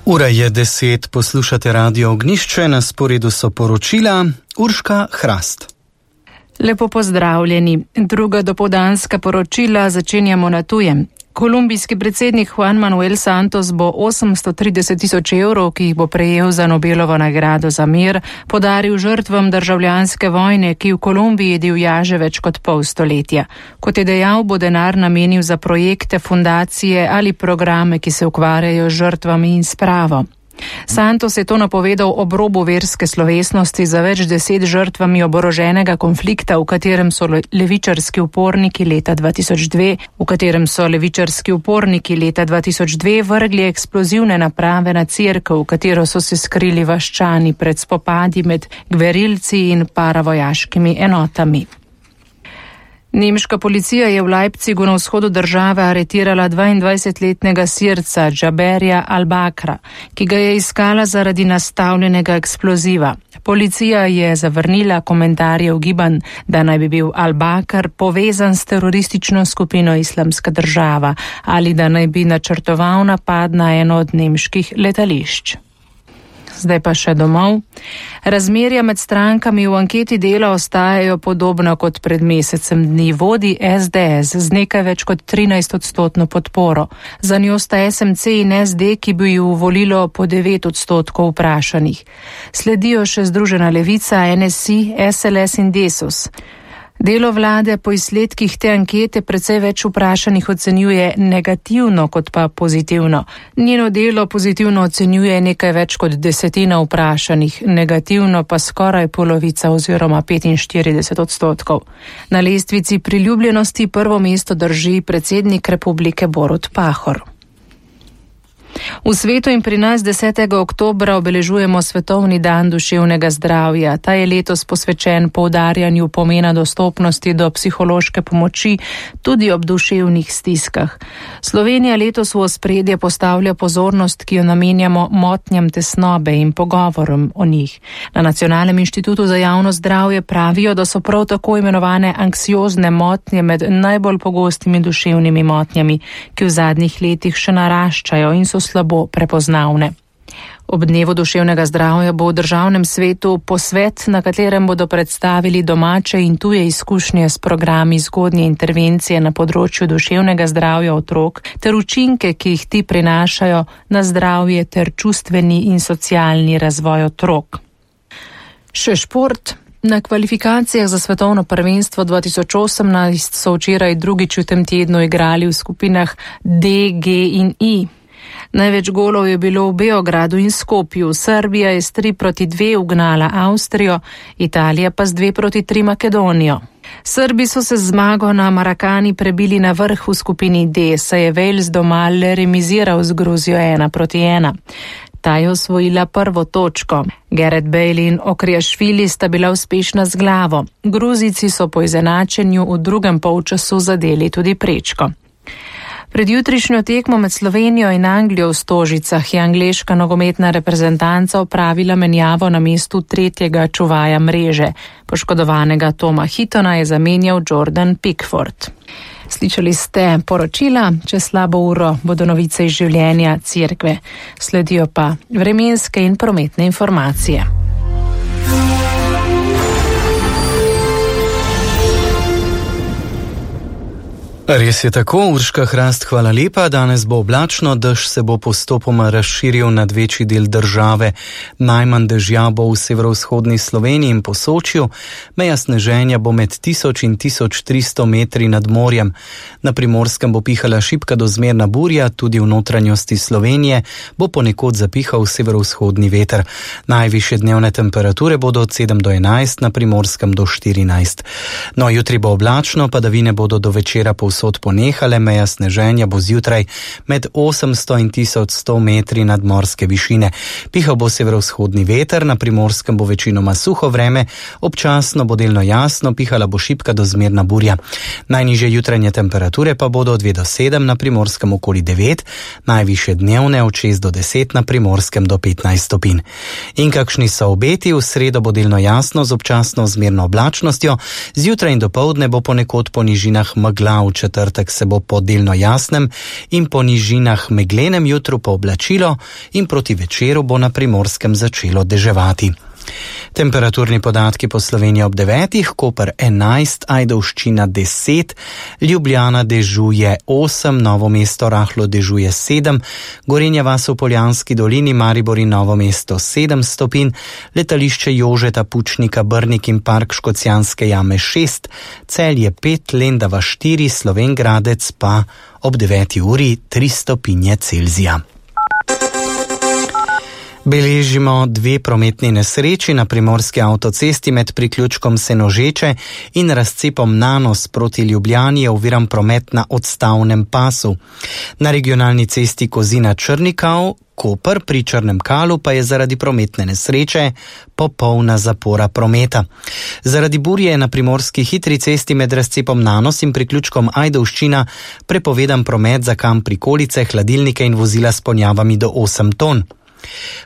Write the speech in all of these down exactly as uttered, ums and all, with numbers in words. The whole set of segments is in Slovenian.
Ura je deset, poslušate Radio Ognjišče, na sporedu so poročila Urška Hrast. Lepo pozdravljeni. Druga dopoldanska poročila začenjamo na tujem. Kolumbijski predsednik Juan Manuel Santos bo osemsto trideset tisoč evrov, ki jih bo prejel za Nobelovo nagrado za mir, podaril žrtvam državljanske vojne, ki v Kolumbiji divja že več kot pol stoletja. Kot je dejal, bo denar namenil za projekte, fundacije ali programe, ki se ukvarjajo z žrtvami in spravo. Santos je to napovedal ob robu verske slovesnosti za več deset žrtvami oboroženega konflikta, v katerem so levičarski uporniki leta dva tisoč dve, v katerem so levičarski uporniki leta dva tisoč dve vrgli eksplozivne naprave na cerkev, v katero so se skrili vaščani pred spopadi med gverilci in paravojaškimi enotami. Nemška policija je v Leipzigu na vzhodu države aretirala dvaindvajsetletnega Sirca Džaberja Al-Bakra, ki ga je iskala zaradi nastavljenega eksploziva. Policija je zavrnila komentarje ugibanj, da naj bi bil Al-Bakr povezan s teroristično skupino Islamska država ali da naj bi načrtoval napad na eno od nemških letališč. Zdaj pa še domov. Razmerja med strankami v anketi Dela ostajajo podobna kot pred mesecem dni. Vodi es de es z nekaj več kot trinajst odstotno podporo. Za njo sta es em ce in es de, ki bi ju volilo po devet odstotkov vprašanih. Sledijo še Združena levica, en es i, es el es in Desus. Delo vlade po izsledkih te ankete precej več vprašanih ocenjuje negativno kot pa pozitivno. Njeno delo pozitivno ocenjuje nekaj več kot desetina vprašanih, negativno pa skoraj polovica oziroma petinštirideset odstotkov. Na lestvici priljubljenosti prvo mesto drži predsednik republike Borut Pahor. V svetu in pri nas desetega oktobra obeležujemo Svetovni dan duševnega zdravja. Ta je letos posvečen poudarjanju pomena dostopnosti do psihološke pomoči tudi ob duševnih stiskah. Slovenija letos v ospredje postavlja pozornost, ki jo namenjamo motnjam tesnobe in pogovorom o njih. Na Nacionalnem inštitutu za javno zdravje pravijo, da so prav tako imenovane anksiozne motnje med najbolj pogostimi duševnimi motnjami, ki v zadnjih letih še naraščajo in so slabo prepoznavne. Ob dnevu duševnega zdravja bo v državnem svetu posvet, na katerem bodo predstavili domače in tuje izkušnje s programi zgodnje intervencije na področju duševnega zdravja otrok ter učinke, ki jih ti prinašajo na zdravje ter čustveni in socialni razvoj otrok. Še šport. Na kvalifikacijah za svetovno prvenstvo dva tisoč osemnajst so včeraj drugič v tem tednu igrali v skupinah D, G in I. Največ golov je bilo v Beogradu in Skopju. Srbija je s tri proti dve ugnala Avstrijo, Italija pa z dve proti tri Makedonijo. Srbi so se z zmago na Marakani prebili na vrh v skupini D, saj je Wales doma le remiziral z Gruzijo ena proti ena. Ta je osvojila prvo točko. Gareth Bale in Okrijašvili sta bila uspešna z glavo. Gruzijci so po izenačenju v drugem polčasu zadeli tudi prečko. Pred jutrišnjo tekmo med Slovenijo in Anglijo v Stožicah je angleška nogometna reprezentanca opravila menjavo na mestu tretjega čuvaja mreže. Poškodovanega Toma Hittona je zamenjal Jordan Pickford. Slišali ste poročila, čez slabo uro bodo novice iz življenja cerkve. Sledijo pa vremenske in prometne informacije. Res je tako, Urška Hrast, hvala lepa. Danes bo oblačno, dež se bo postopoma razširil nad večji del države. Najmanj dežja bo v severovzhodni Sloveniji in Posočju. Meja sneženja bo med tisoč in tisoč tristo metri nad morjem. Na Primorskem bo pihala šibka do zmerna burja, tudi v notranjosti Slovenije bo ponekod zapihal severovzhodni veter. Najvišje dnevne temperature bodo od sedem do enajst, na Primorskem do štirinajst. No, jutri bo oblačno, padavine bodo do večera povsod ponehale, meja sneženja bo zjutraj med osemsto in tisoč sto metri nadmorske višine. Pihal bo severovzhodni veter, na Primorskem bo večinoma suho vreme, občasno bo delno jasno, pihala bo šibka do zmerna burja. Najnižje jutranje temperature pa bodo od dve do sedem, na Primorskem okoli devet, najvišje dnevne od šest do deset, na Primorskem do petnajst stopinj. In kakšni so obeti? V sredo bo delno jasno z občasno zmerno oblačnostjo, zjutraj in dopoldne bo ponekod po nižinah megla, v četrtek se bo po delno jasnem in po nižinah meglenem jutru pooblačilo in proti večeru bo na Primorskem začelo deževati. Temperaturni podatki po Sloveniji ob devetih, Koper enajst, Ajdovščina deset, Ljubljana dežuje osem, Novo mesto rahlo dežuje sedem, Gorenja vas v Poljanski dolini, Maribor in Novo mesto sedem stopinj, letališče Jožeta Pučnika, Brnik in park Škocjanske jame šest, Celje pet, Lendava štiri, Slovenj Gradec pa ob deveti uri tri stopinje Celzija. Beležimo dve prometni nesreči na primorski avtocesti med priključkom Senožeče in razcepom Nanos proti Ljubljani je oviran promet na odstavnem pasu. Na regionalni cesti Kozina-Črnikav, Koper pri Črnem Kalu pa je zaradi prometne nesreče popolna zapora prometa. Zaradi burje je na primorski hitri cesti med razcepom Nanos in priključkom Ajdovščina prepovedan promet za kam prikolice, hladilnike in vozila s ponjavami do osem ton.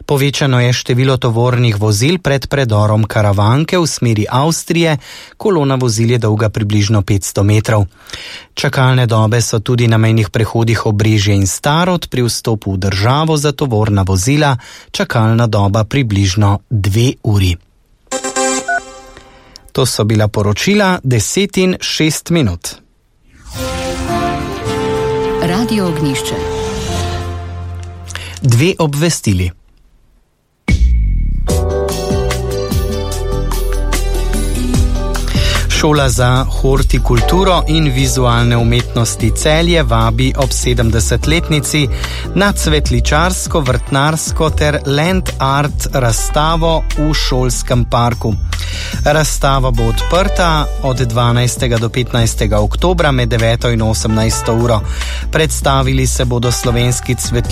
Povečano je število tovornih vozil pred predorom Karavanke v smeri Avstrije, kolona vozil je dolga približno petsto metrov. Čakalne dobe so tudi na mejnih prehodih Obrežje in Starod, pri vstopu v državo za tovorna vozila čakalna doba približno dve uri. To so bila poročila deset in šest minut. Radio Ognjišče. Dve obvestili. Šola za hortikulturo in vizualne umetnosti Celje vabi ob sedemdesetletnici na cvetličarsko, vrtnarsko ter land art razstavo v šolskem parku. Razstava bo odprta od dvanajstega do petnajstega oktobra med deveto in osemnajsto uro. Predstavili se bodo slovenski cvetličarji